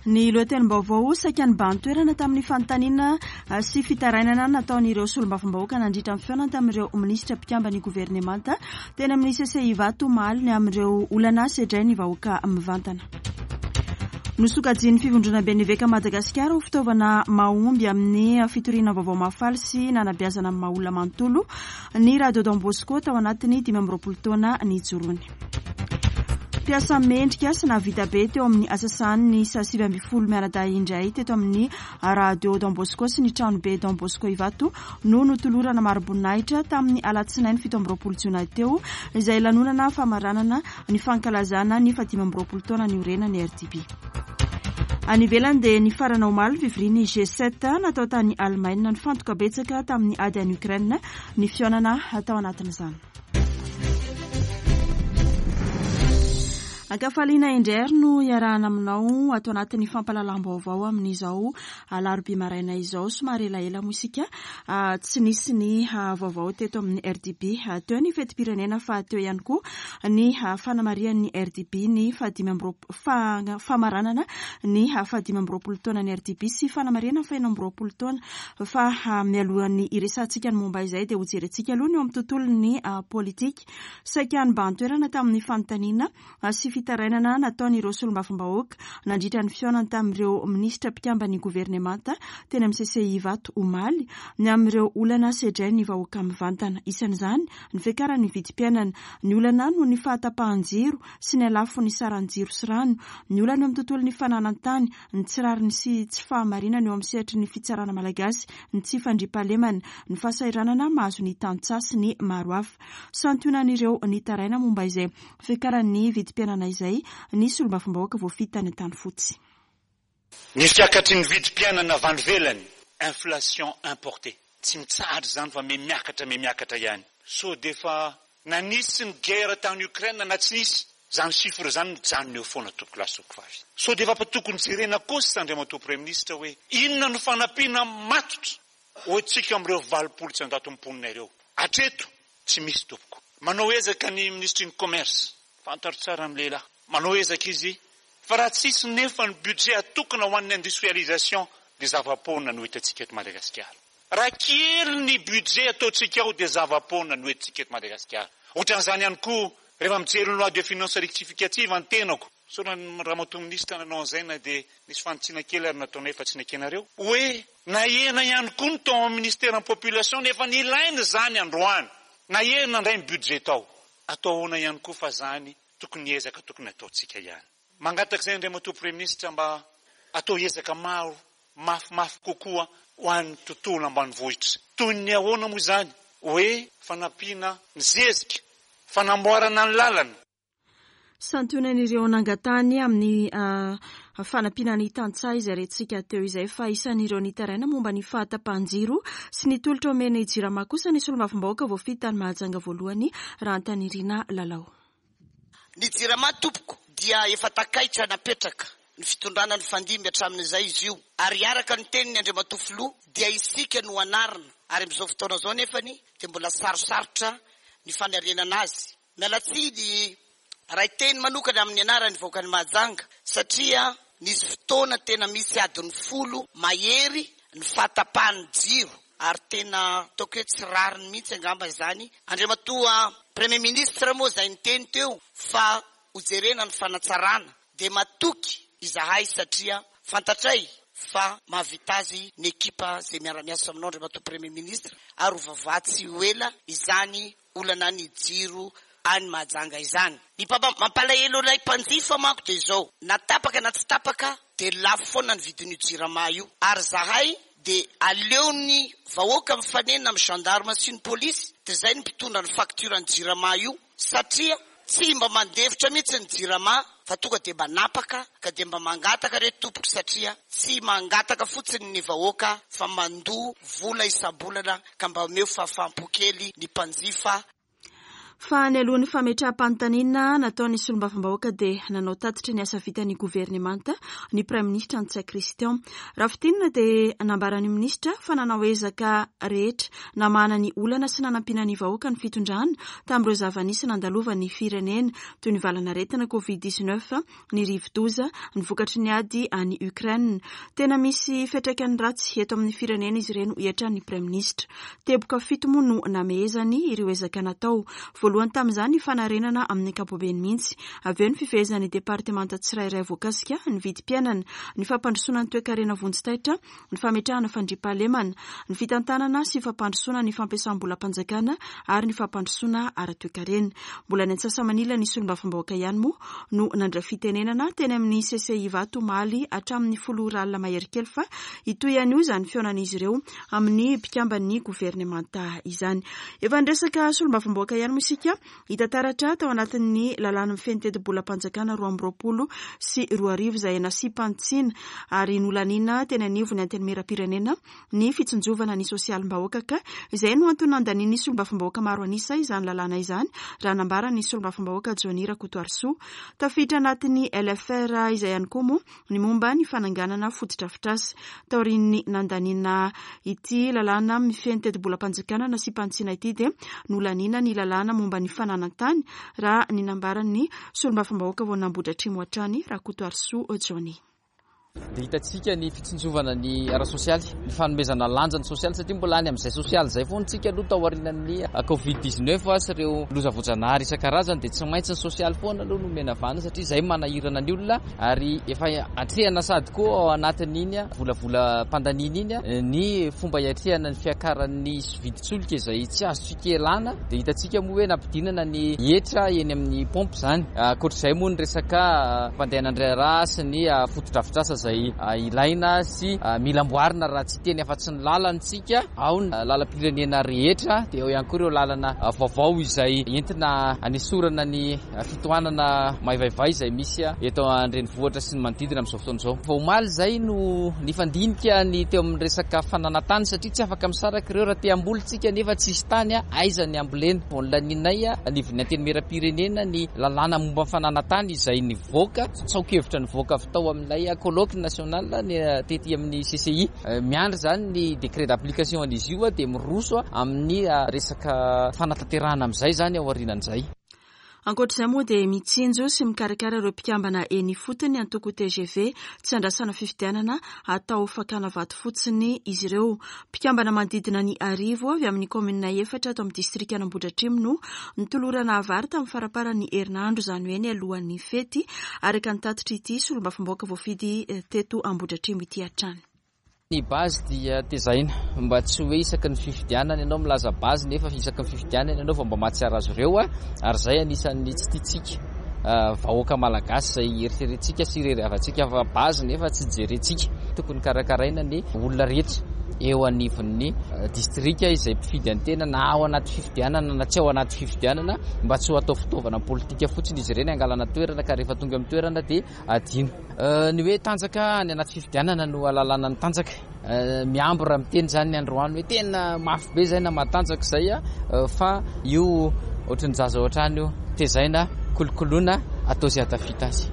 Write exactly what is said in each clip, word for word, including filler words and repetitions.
Ny lohatenim-baovao saika nibahan-toerana tamin'ny fanontaniana sy fitarainana nataon'ireo solombavambahoaka nandritra ny fihaonana tamin'ireo minisitra mpikamban'ny governemanta teny amin'ny C C I Ivato omaly ny amin'ireo olana sedrain'ny vahoaka mivantana. Nosokajian'ny Fivondronamben'ny Eveka Madagasikara ho fitaovana mahomby amin'ny fitoriana vaovao mahafaly sy nanabeazana amin'ny maha olona manontolo ny Radio Don Bosco tao anatin'ny dimy amby roapolo taona nijoroany. Mpiasa mendrika sy nahavita be teo amin'ny asa sahaniny miisa sivy ambin'ny folo mianadahy indray teto amin'ny Radio Don Bosco sy ny trano be Don Bosco Ivato no notolorana mari-boninahitra tamin'ny alatsinainy fito amby roapolo jona teo, izay lanonana famaranana ny fankalazana ny fahadimy amby roapolo taona niorenan'ny R D B. Any ivelany dia nifarana omaly fivorian'ny G sept natao tany Allemagne. Nifantoka betsaka tamin'ny ady any Ukraine ny fihaonana tao anatin'izany. Ankafaliana indray ary no iarahana aminao ato anatin'ny fampahalalam-baovao amin'izao alarobia maraina izao. Somary elaela moa isika tsy nisy ny vaovao teto amin'ny R D B. Teo ny fetim-pirenena, fa teo ihany koa ny fanamarihan'ny R D B ny fahadimy amby roapolo, famaranana ny fahadimy amby roapolo taona ny R D B sy fanamarihana fahenina amby roapolo taona. Fa mialohan'ny iresahantsika ny momba izay dia hojerentsika aloha ny eo amin'ny tontolon'ny politika. Saika nibahan-toerana tamin'ny fanontaniana sy fitarainana nataon'ireo solombavambahoaka nandritra ny fihaonana tamin'ireo minisitra mpikamban'ny governemanta teny amin'ny C C I Ivato omaly ny amin'ireo olana sedrain'ny vahoaka mivantana. Isan'izany ny fiakaran'ny vidim-piainana, ny olana noho ny fahatapahan-jiro sy ny halafon'ny saran-jiro sy rano, ny olana eo amin'ny tontolon'ny fananan-tany, ny tsy rariny sy tsy fahamarinana eo amin'ny sehatry ny fitsarana malagasy, ny tsy fandriampahalemana, ny fahasahiranana mahazo ny tantsaha sy ny maro hafa. Santionan'ireo nitaraina momba izay fiakaran'ny vidim-piainana izay ny solombavambahoaka voafidy tany Antanifotsy. Ny fiakatry ny vidim-piainana avy any ivelany, inflation importée, tsy mitsahatra zany fa me miakatra, me miakatra ihany. So de fa na nisy ny guerre tany Ukraine na tsy nisy zany, chiffre zany mijanona eo foana, tompoko lahy, tompoko vavy. So de efa tokony jerena kosa, andriamatoa Premier ministre, hoe inona no fanampiana matotra hoantsika am'ireo valopolo tsy andato mponina ireo. Atreto tsy misy, tompoko. Manao ezaka ny ministre ny Commerce, fantaro tsara ny lehilahy, manao ezaka izy, fa raha tsisy nefa ny budget atokana ho an'ny industrialisation de zava-poana no hitantsika eto Madagasikara. Raha kely ny budget ataontsika ao de zava-poana no entintsika eto Madagasikara. Ohatran'izany ihany koa rehefa mijery ny loi de finance rectificative ny tenako sona ramatoa ministra nanao an'izay, na de nisy fanitsiana kely ary nataonay fa tsy nekenareo, hoe nahena ihany koa ny tao amin'ny ministère ny Population, nefa ny ilaina zany androany nahena indray ny budget tao. Atao ahoana ihany koa fa zany tokony ezaka tokony ataontsika ihany. Mangataka izay, andriamatoa Premier ministre, mba atao ezaka maro mafimafy kokoa ho an'ny tontolo ambanivohitra. Toy ny ahoana moa izany? Hoe fanampiana ny zezika, fanamboarana ny lalana. Santionan'ireo nangatahany amin'ny fanampiana ny tantsaha izay rentsika teo izay, fa isan'ireo nitaraina momba ny fahatapahan-jiro sy ny tolotra omen'ny Jirama kosa ny solombavambahoaka voafidy tany Mahajanga voalohany, Rahantanirina Lalao. Ny Jirama, tompoko, dia efa takaitra napetraka ny fitondrana ny fandimby hatramin'izay izy io, ary araka ny teniny andriamatoa filoha dia isika no anarina, ary am'izao fotoana zao nefany dia mbola sarosarotra ny fanarenana azy. Mialatsiny raha teny manokana amin'ny anarany vahoaka ny Mahajanga, satria nisy fotoana tena misy adiny folo mahery ny fahatapahan'ny jiro, ary tena ataoko hoe tsy rariny mihitsy angamba izany. Andriamatoa Premier ministre moa zay niteny teo fa hojerena ny fanatsarana, de matoky izahay satria fantatray fa mahavita azy ny ekipa zay miara-miasa aminao, andriamatoa Premier ministre, ary ho voavaha tsy ho ela izany olana ny jiro any Mahajanga izany. Ny mampalahelo anay mpanjifa manko de zao: na tapaka na tsy tapaka de lafo foana ny vidin'io Jirama io, ary zahay de aleony vahoaka mifanena amy gendarme sy ny polisy de zay ny mpitondra ny facture ny Jirama io, satria tsy mba mandefitra mihitsy ny Jirama fa tonga de manapaka. Ka de mba mangataka re, tompoko, satria tsy mangataka fotsiny ny vahoaka fa mandoa vola isam-bolana, ka mba omeo fahafaham-po kely ny mpanjifa. Fa ny alohan'ny fametraham-panontaniana nataon'ny solombavambahoaka dia nanao tatitra ny asa vitan'ny governemanta ny praiminisitra Ntsay Christian. Raha fintinina dia nambaran'ny minisitra fa nanao ezaka rehetra namahana ny olana sy nanampiana ny vahoaka ny fitondrana tamin'ireo zava-nisy nandalovan'ny firenena toy ny valanaretina covid dix-neuf, ny rivodoza, ny vokatry ny ady any Ukraine. Tena misy fiantraikany ratsy eto amin'ny firenena izy ireny, hoy hatrany ny praiminisitra. Teboka fito moa no namehezany ireo ezaka natao. Voalohany tamin'izany ny fanarenana amin'ny ankapobeny mihitsy, avy eo ny fifehezan'ny departemanta tsirairay voakasika, ny vidim-piainana, ny fampandrosoana ny toekarena vonjitaitra, ny fametrahana fandriampahalemana, ny fitantanana sy fampandrosoana ny fampiasam-bolam-panjakana ary ny fampandrosoana ara-toekarena. Mbola ny antsasamanila ny solombavambahoaka ihany moa no nandray fitenenana teny amin'ny C C I Ivato omaly hatramin'ny folo ora alina mahery kely, fa hitohy an'io izany fihaonan'izy ireo amin'ny mpikamban'ny governemanta izany. Efa niresaka solombavambahoaka ihany moa isika hita taratra tao anatin'ny lalàna mifehy ny tetibolam-panjakana roa amby roapolo sy roa arivo izay nasiam-panitsiana ary nolanina teny anivon'ny antenimieram-pirenena ny fitsinjovana ny sosialim-bahoaka, ka izay no antony nandanian'ny solombavambahoaka maro an'isa izany lalàna izany, raha nambaran'ny solombavambahoaka Johnny Rakotoarisoa. Tafiditra anatin'ny L F R izay ihany koa moa ny momba ny fananganana fotodrafitrasa. Taorian'ny nandaniana ity lalàna mifehy ny tetibolam-panjakana nasiam-panitsiana ity dia nolanina ny lalàna momba ny fananan-tany, raha ny nambaran'ny solombavambahoaka vao nambodratrimo hatrany Rakotoarisoa Johnny. Dia hitantsika ny fitsinjovana ny ara-sosialy, ny fanomezana lanja ny sosialy, satria mbola any amin'izay sosialy izay foana tsika aloha tao aorianan'ny covid dix-neuf sy ireo loza voajanahary isan-karazany, dia tsy maintsy ny sosialy foana aloha no omena vahana satria izay manahirana ny olona, ary efa atrehana sady koa ao anatin'iny volavolam-pandaniana iny ny fomba hiatrehana ny fiakaran'ny vidin-tsolika izay tsy azontsika ialana. Dia hitantsika moa hoe nampidinana ny hetra eny amin'ny pompe izany. Ankoatr'izay moa ny resaka fampandehanan-draharaha sy ny fotodrafitrasa izay ilaina sy mila amboarina raha tsy teny afa-tsy ny lalantsika ao ny lalam-pirenena rehetra, dia eo ihany koa ireo lalana vaovao izay entina anesorana ny fitohanana maivaivay izay misy eto an-drenivohitra sy ny manodidina amin'izao fotoana izao. Vao omaly izay no nifandinika ny teo amin'ny resaka fananantany, satria tsy afaka misaraka ireo raha te hamboly tsika nefa tsisy tany aiza ny hambolena. Vao nolaninay anivon'ny antenimieram-pirenena ny lalàna momba ny fananantany izay nivoaka, tsaokevitra nivoaka avy tao amin'ilay colloque national ny tety amin'ny C C I. Miandry izany ny décret d'application an'izy io dia miroso amin'ny resaka fanatanterahana amin'izay izany ao aorianan'izay. Ankoatr'izay moa dia mitsinjo sy mikarakara ireo mpikambana eny ifotony antoko T G V tsy andrasana fifidianana atao fakana vato fotsiny izy ireo. Mpikambana manodidina ny arivo avy amin'ny kaominina efatra ato amin'ny distrikan'Ambohidratrimo no nitolorana vary tamin'ny faramparan'ny herinandro, izany hoe ny alohan'ny fety, araka ny tatitra ity solombavambahoaka voafidy teto Ambohidratrimo ity hatrany. Ny base dia tezaina mba tsy hoe isaky ny fifidianana ianao milaza base nefa isaky ny fifidianana ianao vao mba mahatsiaro azy ireo, ary izay anisan'ny tsy tiantsika vahoaka malagasy izay eritreretintsika sy irerehavantsika fa base nefa tsy jerentsika. Tokony karakaraina ny olona rehetra eo anivon'ny distrika izay mpifidy an-tena na ao anaty fifidianana na tsy ao anaty fifidianana, mba tsy ho atao fitaovana politika fotsiny izy ireny hangalana toerana ka rehefa tonga amin'ny toerana dia adino. Ny hoe tanjaka any anaty fifidianana no ahalalana ny tanjaka. Miambo raha miteny izany ny androany hoe tena mafy be izay na matanjaka izay, fa io ohatran'ny zaza ohatrany io, tezaina, kolokoloina, atao izay hahatafita azy.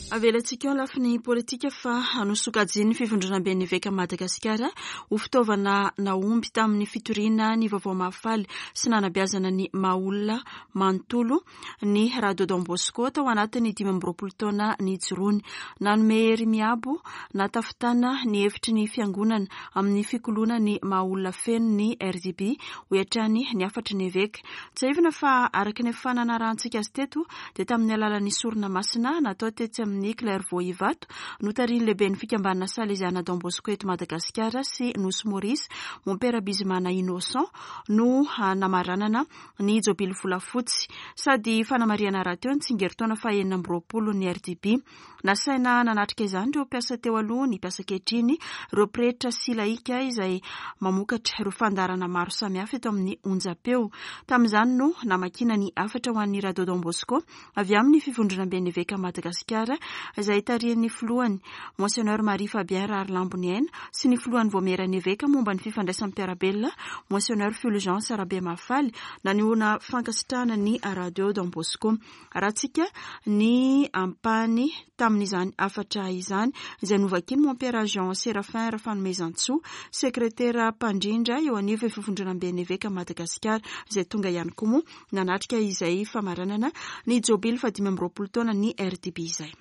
Avelantsika eo lafiny politika fa nosokajian'ny fivondronamben'ny Eveka Madagasikara ho fitaovana nahomby tamin'ny fitoriana ny vaovao mahafaly sy nanabeazana ny maha olona manontolo ny Radio Don Bosco tao anatin'ny dimy amby roapolo taona nijoroany. Nanome hery miabo natafitana ny hevitry ny fiangonana amin'ny fikoloana ny maha olona feno ny R D B, hoy hatrany ny hafatry ny eveka. Tsiahivina fa araka ny fananarahantsika azy teto dia tamin'ny alalan'ny sorona masina natao tetsy amin'ny Clairvaux Ivato notarihin'ny lehiben'ny fikambanana Salesiana Don Bosco eto Madagasikara sy Nosy Maurice, Mompera Bizimana Innocent no namaranana ny jobily volafotsy sady fanamarihana rahateo ny tsingerin-taona fahenina amby roapolo ny R D B. Nasaina nanatrika izany ireo mpiasa teo aloha, ny mpiasa ankehitriny, ireo pretra sy laika izay mamokatra ireo fandaharana maro samihafa eto amin'ny onjam-peo. Tamin'izany no namakiana ny hafatra ho an'ny Radio Don Bosco avy amin'ny fivondronamben'ny Eveka Madagasikara izay tarihin'ny filohany Monseigneur Marie Fabien Raharlamboniaina sy ny filohan'ny vaomieran'ny eveka momba ny fifandraisan'ny mpiara-belona Monseigneur Fulgence Rabemahafaly nanehoana fankasitrahana ny Radio Don Bosco. Arahantsika ny ampahany tamin'izany hafatra izany izay novakian'i Mompera Jean Séraphin Rafanomezantsoa, sekretera mpandrindra eo anivon'ny fivondronamben'ny eveka Madagasikara, izay tonga ihany koa moa nanatrika izay famaranana ny jobily fahadimy amby roapolo taona ny R D B izay.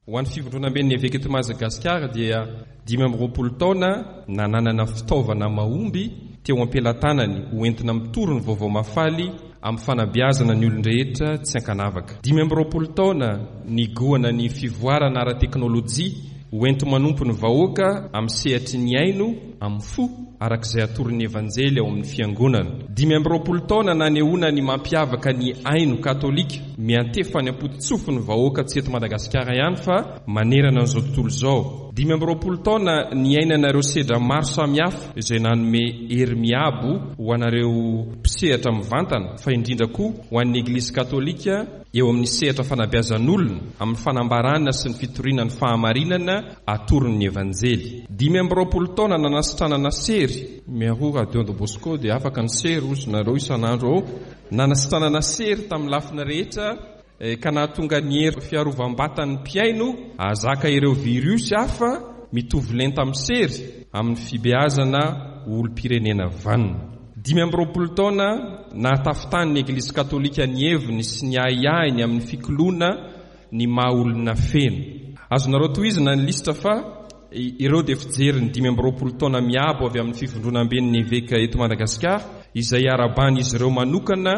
Ho an'ny fivondronamben'ny eveka eto Madagasikara dia dimy amby roapolo taona nananana fitaovana mahomby teo am-pelatanany ho entina mitory ny vaovao mahafaly amin'ny fanabeazana ny olon-drehetra tsy ankanavaka. Dimy amby roapolo taona nigohana ny fivoarana ara-teknôlôjia ho enti-manompo ny vahoaka amin'ny sehatry ny haino amin'ny fo arak'izay atoron'ny Evanjely ao amin'ny fiangonana. Dimy amby roapolo taona nanehoana ny mampiavaka ny haino katôlika miantefa any am-pototsofin'ny vahoaka tsy eto Madagasikara ihany fa manerana an'izao tontolo izao. Dimy amby roapolo taona niainanareo sedra maro samihafa izay nanome hery miabo ho anareo mpisehatra mivantana fa indrindra koa ho an'ny Eglizy katôlika eo amin'ny sehatra fanabeazan'olona amin'ny fanambarana sy ny fitoriana ny fahamarinana atoron'ny Evanjely. Dimy amby roapolo taona nanasitranana sery miaro Radio Don Bosco dia afaka ny sery ozy nareo isan'andro ao. Nanasitranana sery tamin'ny lafiny rehetra ka nahatonga ny hery fiarovam-batan'ny mpihaino ahazaka ireo virus hafa mitovy lenta amin'ny sery amin'ny fibeazana olom-pirenena vanona. Dimy amby roapolo taona nahatafitany ny Eglizy katôlika ny heviny sy ny ahiahiny amin'ny fikoloana ny maha olona feno. Azonareo tohizina ny lisitra fa ireo dia fijery ny dimy amby roapolo taona miabo avy amin'ny fivondronamben'ny eveka eto Madagasikara izay araban'izy ireo manokana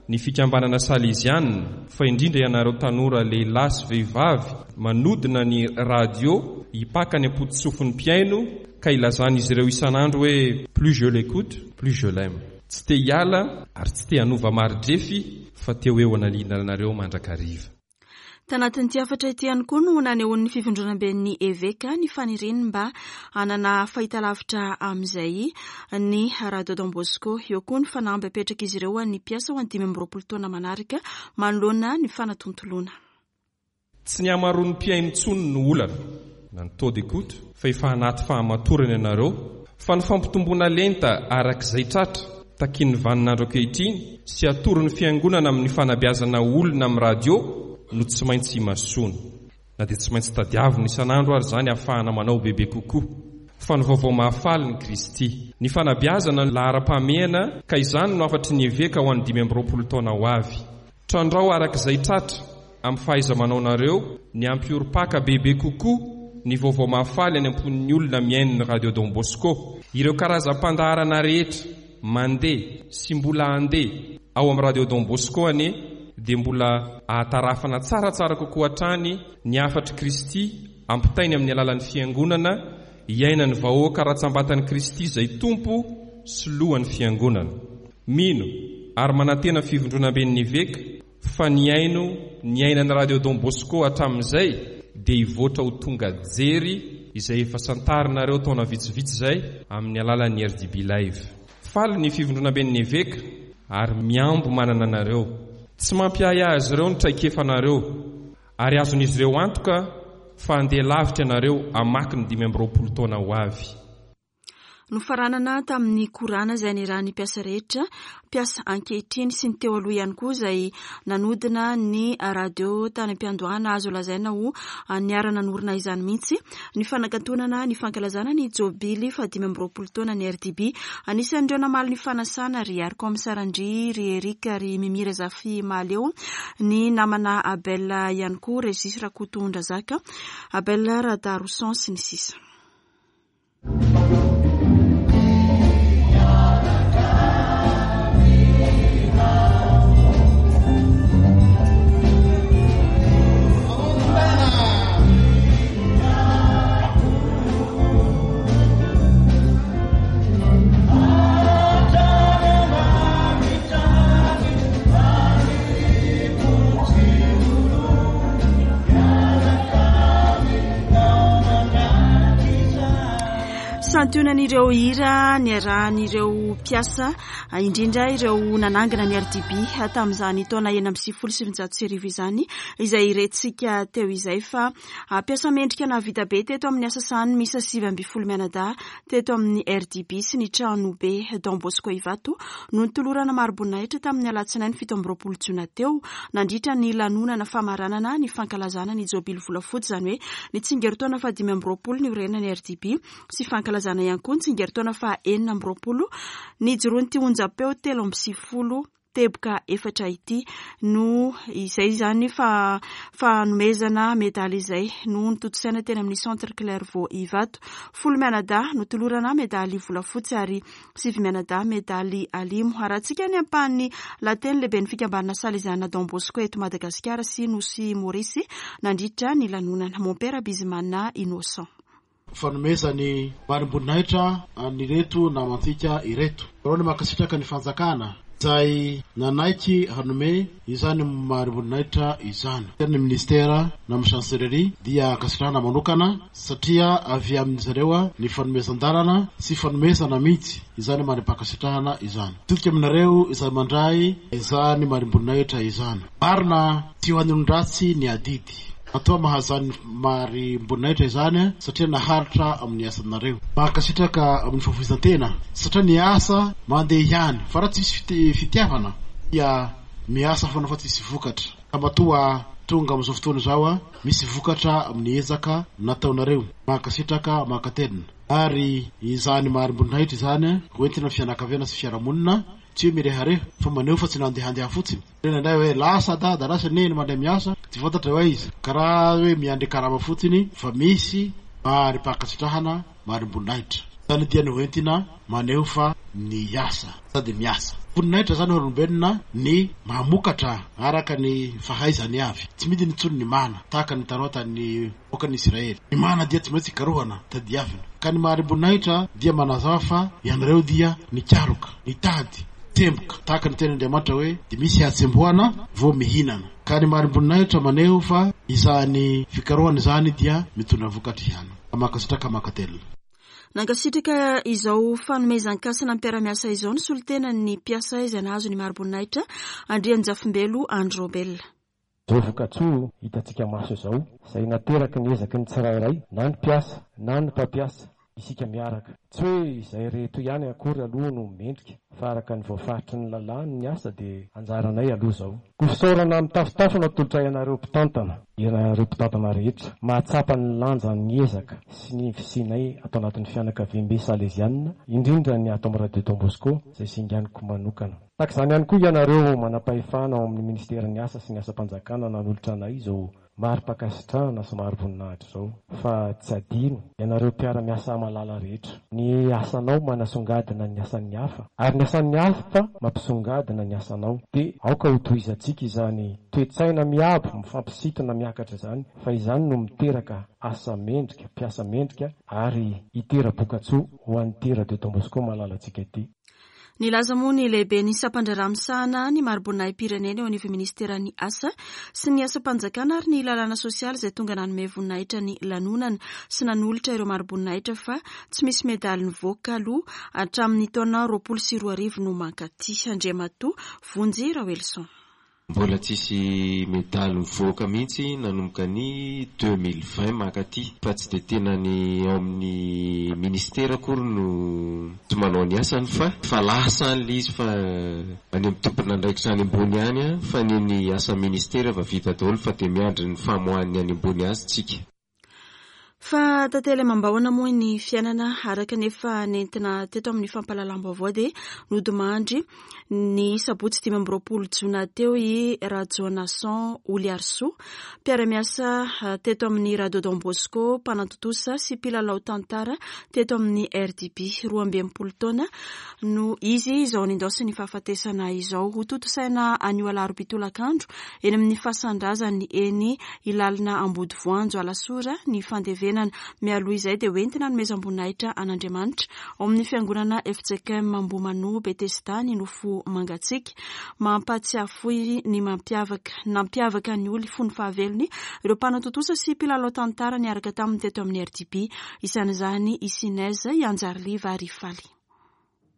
ny fikambanana salezianina fa indrindra ianareo tanora lehilahy sy vehivavy manodina ny radio hipaka ny am-pototsofin'ny mpihaino ka ilazan'izy ireo isan'andro hoe plus je l'écoute plus je l'aime. Tsy te hiala ary tsy te hanova mari-drefy fa te ho eo analinanareo mandrakariva. Tanatin'ity hafatra ity ihany koa no nanehoan'ny fivondronamben'ny eveka ny faniriany mba hanana fahitalavitra amin'izay ny Radio Don Bosco. Eo koa ny fanamby apetrak'izy ireo an'ny mpiasa ho an'ny dimy amby roapolo taona manaraka manoloana ny fanatontoloana. Tsy ny hamaroan'ny mpihaino intsony no olana na ny taux d'écoute fa efa anaty fahamatorana ianareo fa ny fampitomboana lenta arak'izay tratra takian'ny vaninandro ankehitriny sy atoron'ny fiangonana amin'ny fanabeazana olona amin'ny radio no tsy maintsy imasoana. Na dia tsy maintsy tadiavina isan'andro ary izany ahafahana manao bebe kokoa. Fa ny vaovao mahafaly ny Kristy. Ny fanabeazana ny laharam-pahamehana ka izany no hafatry ny eveka ho an'ny dimy amby roapolo taona ho avy. Trandrao arak'izay tratra amin'ny fahaiza-manaonareo ny hampiorim-paka bebe kokoa ny vaovao mahafaly any am-pon'ny olona mihaino ny Radio Don Bosco. Ireo karazam-pandaharana rehetra mandeha sy mbola handeha ao amin'ny Radio Don Bosco anie dia mbola ahatarafana tsaratsara kokoa hatrany ny hafatr'i Kristy ampitainy amin'ny alalan'ny fiangonana iainan'ny vahoaka ratsambatan'i Kristy izay tompo sy lohan'ny fiangonana. Mino ary manantena fivondronamben'ny eveka fa ny haino ny ainan'ny Radio Don Bosco hatramin'izay dia hivoatra ho tonga jery izay efa santarinareo taona vitsivitsy izay amin'ny alalan'ny R D B Live. Faly ny fivondronamben'ny eveka ary miambo manana anareo. Tsy mampiahiahy azy ireo ny traikefanareo ary azon'izy ireo antoka fa handeha lavitra ianareo hamaky ny dimy amby roapolo taona ho avy. Nofaranana tamin'ny korana izay nirahan'ny mpiasa rehetra, mpiasa ankehitriny sy ny teo aloha ihany koa izay nanodina ny radio tany am-piandohana azo lazaina ho niara-nanorina izany mihitsy ny fanakatonana ny fankalazana ny jobily fahadimy amby roapolo taona ny R D B. Anisan'ireo namaly ny fanasana ry Arcom Sarandri, ry Eric, ry Mimi Razafy Mahaleo, ny namana Abel ihany koa, Régis Rakotondrazaka, Abel Radaroson sy ny sisa. Yeah. Santionan'ireo hira niarahan'ireo mpiasa, indrindra ireo nanangana ny R D B tamin'izany taona enina amby sivifolo sy sivinjato sy arivo izany, izay rentsika teo izay. Fa mpiasa mendrika nahavita be teto amin'ny asa sahany miisa sivy amby folo mianadahy teto amin'ny R D B sy ny trano be Don Bosco Ivato no notolorana mari-boninahitra tamin'ny alatsinainy fito amby roapolo jona teo, nandritra ny lanonana famaranana ny fankalazana ny jobily volafotsy, izany hoe ny tsingerin-taona fahadimy amby roapolo niorenan'ny R D B sy fankalazana ihany koa ny tsingerin-taona faha enina amby roapolo nijoroan'ity onjam-peo telo amby sivifolo teboka efatra ity. No izay izany fa fanomezana medaly izay no notontosaina teny amin'ny Centre Clairvaux Ivato. Folo mianadahy notolorana medaly volafotsy ary sivy mianadahy medaly alimo. Arahantsika ny ampahan'ny lahateny lehibe ny fikambanana Salesiana Don Bosco eto Madagasikara sy Nosy Maurice nandritra ny lanonana, Mompera Bizimana Innocent. Fanomezana mari-boninahitra an'ireto namantsika ireto reo ny mankasitraka ny fanjakana izay nanaiky hanome izany mari-boninahitra izany. Ny ministera na amin'ny chancellerie dia ankasitrahana manokana satria avy amin'ny zareo a ny fanomezan-dalana sy fanomezana mihitsy izany mari-pankasitrahana izany. Todika aminareo izay mandray izany mari-boninahitra izany, marina tsy ho an'olon-dratsy ny adidy atoa mahazany mari-boninahitra izany satria naharitra amin'ny asanareo. Mankasitraka amin'ny fahafoizan-tena satria ny asa mandeha ihany fa raha tsisy fitiavana dia miasa foana fa tsisy vokatra. Ka matoa tonga amin'izao fotoana izao a misy vokatra amin'ny ezaka nataonareo, mankasitraka, mankatelina. Ary izany mari-boninahitra izany hoentina fianakaviana sy fiarahamonina, tsy hoe mirehareha fa maneho fa tsy nandehandeha fotsiny reny hoe lasa dada, lasa neny mandeha miasa, tsy fantatra hoe izy karaha hoe miandry karama fotsiny, fa misy mari-pankasitrahana, mari-boninahitra zany dia ny hoentina maneho fa ny asa sady miasa voninahitra zany olombelona ny mamokatra araka ny fahaizany avy. Tsy midiny intsony ny mana tahaka ny tanoa ny vahoakan'ny Israely. Ny mana dia tsy maintsy karohana, tadiavina. Ka ny mari-boninahitra dia manazava fa ianareo dia nikaroka, nitady, tsemboka tahaka ny tenin'Andriamanitra hoe de misy hatsembohana vo mihinana. Ka ny mari-boninahitra maneho fa izany fikarohana izany dia mitondra vokatra ihany. Mankasitraka, mankatelina. Nankasitraka izao fanomezan-kasina mpiara-miasa izao ny solotenan'ny mpiasa izay nahazo ny mari-boninahitra, Andrianjafimbelo Androbel. Zao vokatsoa hitantsika maso izao izay nateraky ny ezaky ny tsirairay, na ny mpiasa na ny mpampiasa, isika miaraka. Tsy hoe izay reto ihany akory aloha no mendrika, fa araka ny voafaritry ny lalàna ny asa dia anjaranay aloha zao. Ko fisaorana mitafotafo no atolotra ianareo mpitantana, ianareo mpitantana rehetra mahatsapa ny lanja ny ezaka sy ny fisianay atao anatin'ny fianakaviambe salezianina, indrindra ny ato amin'ny Radio Don Bosco izay singaniko manokana. Tahaka izany ihany koa ianareo manam-pahefana ao amin'ny ministeran'ny asa sy ny asam-panjakana nanolotra anay izao mari-pankasitrahana sy mari-boninahitra izao. Fa tsy adino ianareo mpiara-miasa malala rehetra. Ny asanao manasongadina ny asan'ny hafa ary ny asan'ny hafa mampisongadina ny asanao. Dia aoka ho tohizantsika izany toe-tsaina miabo mifampisintona miakatra izany, fa izany no miteraka asa mendrika, mpiasa mendrika ary hitera-bokatsoa ho an'ity Radio Don Bosco malalantsika ity. Nilaza moa ny lehibe ny sampandraharaha misahana ny mari-boninahim-pirenena eo anivon'ny ministeran'ny asa sy ny asam-panjakana ary ny lalàna sosialy, izay tonga nanome voninahitra ny lanonana sy nanolotra ireo mari-boninahitra, fa tsy misy medaly nivoaka aloha hatramin'ny taona roapolo sy roa arivo no mankaty, Andriamatoa Vonjy Raoelison. Mbola tsisy medaly mivoaka mihitsy nanomboka ny deux mille vingt mankaty, fa tsy de tena ny ao amin'ny ministera akory no tsy manao ny asany, fa fa lasa any le izy, fa any amin'ny tompon'andraikitra any ambony any a fa ny ny asa ministera efa vita daholo, fa de miandry ny famoahan'ny any ambony azy tsika. Fa tantely amam-bahona moa ny fiainana. Araka nefa nentina teto amin'ny fampahalalam-baovao, dia nodimandry ny sabotsy dimy amby roapolo jona teo i Rajonason Oliarsoa, mpiara-miasa teto amin'ny Radio Don Bosco, mpanatontosa sy mpilalao tantara teto amin'ny R D B. Roa amby enimpolo taona no izy izao nindaosin'ny fahafatesana izao. Ho tontosaina anio alarobia tolakandro eny amin'ny fasan-drazany eny Ilalina Ambodivoanjo Alasora ny fandevena. fandevenana. Mialoha izay dia hoentina hanomezam-boninahitra an'Andriamanitra ao amin'ny fiangonana F J K M Ambohimanoa Betesda ny nofo mangatsiaka. Mampahatsiahy fohy ny mampiavaka nampiavaka ny Oly fony fahavelony ireo mpanatontosa sy mpilalao tantara niaraka taminy teto amin'ny R D B. Isan'izany i Sinez, i Anjariliva ary Faly.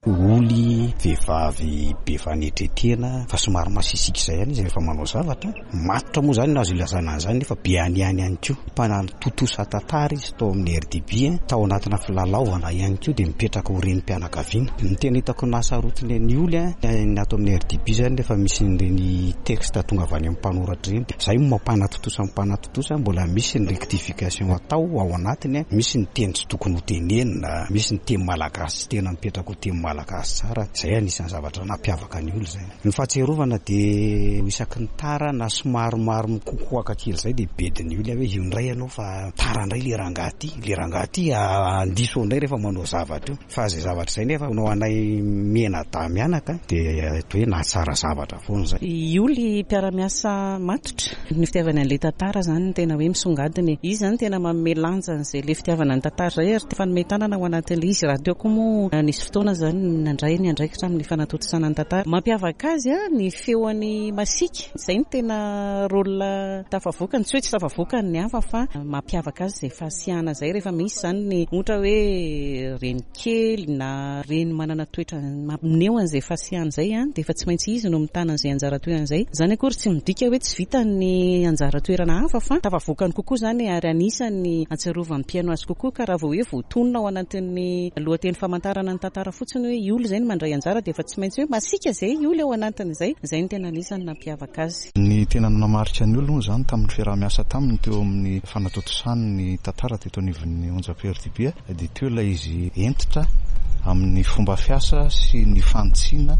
Oly vehivavy be fanetretena fa somary masisika izay ihany izy rehefa manao zavatra. Matotra moa izany no azo ilazana an'izany nefa be aniany ihany koa. Mpanatontosa tantara izy tao amin'ny R D B, tao anatina filalaovana ihany koa dia mipetraka ho renim-pianakaviana. Ny tena hitako nahasarotiny ny Oly, ny ato amin'ny R D B izany rehefa misy ireny texte tonga avy any amin'ny mpanoratra ireny. Izay no mampanatontosa ny mpanatontosa, mbola misy ny rectification atao ao anatiny, misy ny teny tsy tokony ho tenenina, misy ny teny malagasy tsy tena mipetraka ho teny malagasy tsara. Izay anisan'ny zavatra nampiavaka ny Oly izay. Ny fahatsiarovana dia isaky ny tara na somary mikokoaka kely izay dia bedin'ny Oly hoe io indray ianao fa tara indray le rangahy ity, le rangahy ity andiso indray rehefa manao zavatra io. Fa izay zavatra izay nefa no anay mianadahy mianaka dia toy hoe nahatsara zavatra foana izay. I Oly mpiara-miasa matotra. Ny fitiavana an'ilay tantara izany no tena hoe misongadina. Izy izany tena manome lanja an'izay ilay fitiavana ny tantara izay ary fanome tanana ao anatin'ilay izy. Raha teo koa moa nisy fotoana izany nandray ny andraikitra amin'ny fanatontosana ny tantara. Mampiavaka azy ny feoany masiaka. Izay no tena rôle tafavoakany. Tsy hoe tsy tafavoakany ny hafa fa mampiavaka azy izay fahasiahana izay rehefa misy izany ny ohatra hoe reny kely na reny manana toetra maneho an'izay fahasiahana izay, dia efa tsy maintsy izy no mitana an'izay anjara toerana izay. Izany akory tsy midika hoe tsy vita ny anjara toerana hafa fa tafavoakany kokoa izany ary anisan'ny ahatsiarovan'ny mpihaino azy kokoa ka raha vao hoe voatonona ao anatin'ny lohateny famantarana ny tantara fotsiny hoe i Oly izay no mandray anjara dia efa tsy maintsy hoe masiaka izay i Oly ao anatin'izay. Izay no tena anisan'ny nampiavaka azy. Ny tena nanamarika ny Oly moa izany tamin'ny fiaraha-miasa taminy teo amin'ny fanatontosany ny tantara teto anivon'ny onjam-peo R D B dia teo ilay izy hentitra amin'ny fomba fiasa sy ny fanitsiana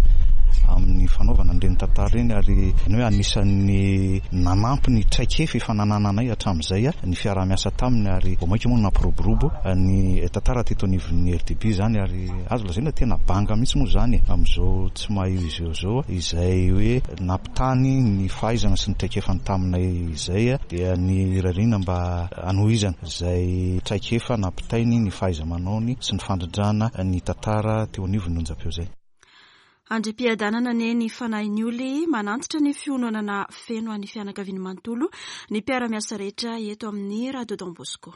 amin'ny fanaovana an'ireny tantara ireny ary ny hoe anisan'ny nanampy ny traikefa efa nanananay hatramin'izay ny fiaraha-miasa taminy ary vao mainka moa nampiroborobo ny tantara teto anivon'ny R D B izany ary azo lazaina tena banga mihitsy moa izany amin'izao tsy maha io izy eo izao izay hoe nampitany ny fahaizana sy ny traikefany taminay izay dia ny irariana mba hanohizana izay traikefa nampitainy ny fahaiza-manaony sy ny fandrindrana ny tantara teo anivon'ny onjam-peo izay. Andrim-piadanana anie ny fanahin'ny Oly manantitra ny fiononana feno an'ny fianakaviany manontolo ny mpiara-miasa rehetra eto amin'ny Radio Don Bosco.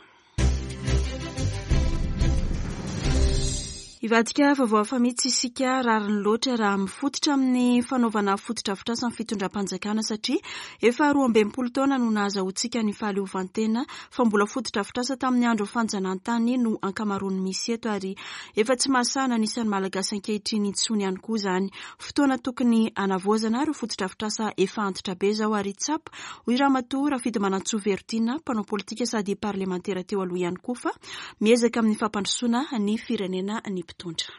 Hivadika vaovao hafa mihitsy isika, rariny loatra raha mifototra amin'ny fanaovana fotodrafitrasa ny fitondram-panjakana satria efa roa amby enimpolo taona no nahazahoantsika ny fahaleovantena fa mbola fotodrafitrasa tamin'ny andro fanjanahantany no ankamaroany misy eto ary efa tsy mahasahana ny isan'ny Malagasy ankehitriny intsony ihany koa izany. Fotoana tokony hanavaozana ireo fotodrafitrasa efa antitra be izao ary tsapa hoy Ramatoa Rafidimanantsoa Vertina, mpanao politika sady parlemantera teo aloha ihany koa fa miezaka amin'ny fampandrosoana ny firenena ny mpitondra.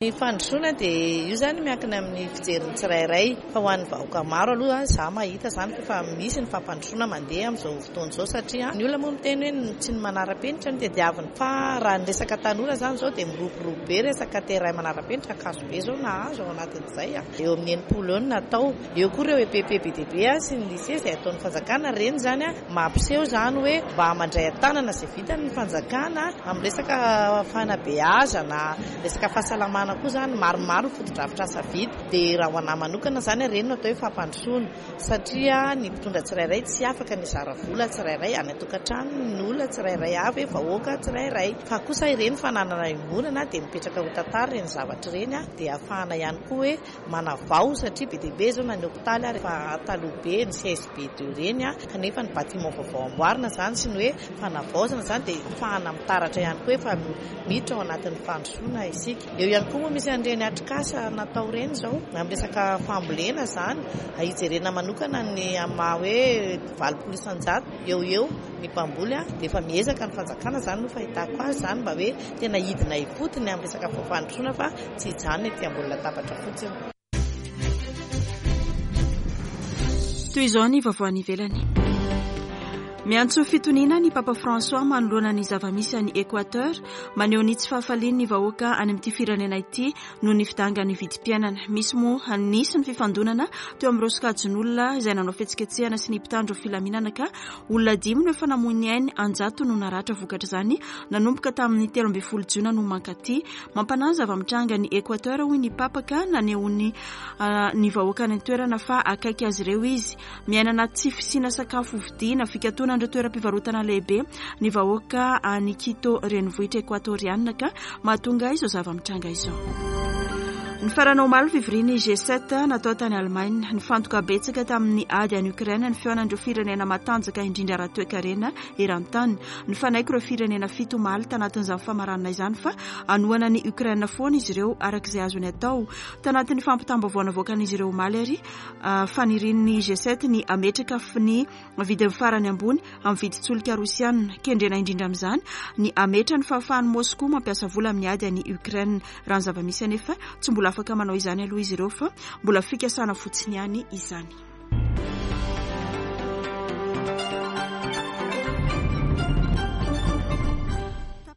Ny fandrosoana dia io izany miankina amin'ny fijerin'ny tsirairay fa ho an'ny vahoaka maro aloha izaho mahita izany fa efa misy ny fampandrosoana mandeha amin'izao fotoana izao satria ny olona moa miteny hoe tsy ny manara-penitra no tadiaviny fa raha ny resaka tanora izany izao dia miroborobo be resaka terrain manara-penitra Ankazobe izao nahazo ao anatin'izay eo amin'ny enimpolo eo no natao. Eo koa ireo E P P be dia be sy ny lycée izay ataon'ny fanjakana ireny izany mampiseho izany hoe mba mandray an-tanana izay vitany ny fanjakana amin'ny resaka fanabeazana, resaka fahasalamana koa izany maromaro ny fotodrafitrasa vita. Dia raha ho anahy manokana izany ireny no atao hoe fampandrosoana satria ny mpitondra tsirairay tsy afaka ny hizara vola tsirairay any an-tokantrano ny olona tsirairay avy vahoaka tsirairay fa kosa ireny fananana iombonana dia mipetraka ho tantara ireny zavatra ireny dia ahafahana ihany koa hoe manavao satria be dia be izao na ny hopitaly ary efa taloha be ny C S B deux ireny kanefa ny bâtiment vaovao amboarina izany sy ny hoe fanavaozana izany dia ahafahana mitaratra ihany koa efa miditra ao anatin'ny fandrosoana isika. Eo ihany koa moa misy an'ireny atrikasa natao ireny izao amin'ny resaka fambolena izany hijerena manokana ny amin'ny maha hoe valopolo isan-jato eo eo ny mpamboly dia efa miezaka ny fanjakana izany no fahitako azy izany mba hoe tena hidina ifotony amin'ny resaka fampandrosoana fa tsy hijanona ety ambony latabatra fotsiny. Toy izao ny vaovao any ivelany. Miantso fitoniana ny Papa François manoloana ny zava-misy any Équateur. Maneho ny tsy fahafaliany ny vahoaka any amin'ity firenena ity noho ny fidangan'ny vidim-piainana. Misy moa nisy ny fifandonana teo amin'ireo sokajin'olona izay nanao fihetsiketsehana sy ny mpitandro filaminana, ka olona dimy no efa namoy ny ainy, anjato no naratra vokatr'izany nanomboka tamin'ny telo ambin'ny folo jona no mankaty. Mampanahy ny zava-mitranga ny Équateur, hoy ny Papa, ka naneho ny ny vahoaka any an-toerana fa akaiky azy ireo izy. Miaina anaty tsy fisiana sakafo vidiana, fikatonan'ireo toeram-pivarotana lehibe ny vahoaka any Quito, renivohitra ekoatorianina, ka mahatonga izao zava-mitranga izao. Ny farana omaly fivorian'ny G sept natao tany Allemagne. Nifantoka betsaka tamin'ny ady any Ukraine ny fihaonan'ireo firenena matanjaka indrindra ara-toekarena eran-tany. Nifanaiky ireo firenena fito omaly tanatin'izany famaranana izany fa hanohana ny Ukraine foana izy ireo araka izay azony atao. Tanatin'ny fampitam-baovao navoakan'izy ireo omaly ary fanirian'ny G sept ny ametraka ny vidiny farany ambony amin'ny vidin-tsolika rosiana. Kendrena indrindra amin'izany ny ametra ny fahafahan'i Moscou mampiasa vola amin'ny ady any Ukraine. Raha ny zava-misy anefa, tsy mbola afaka manao izany aloha izy ireo fa mbola fikasana fotsiny ihany izany.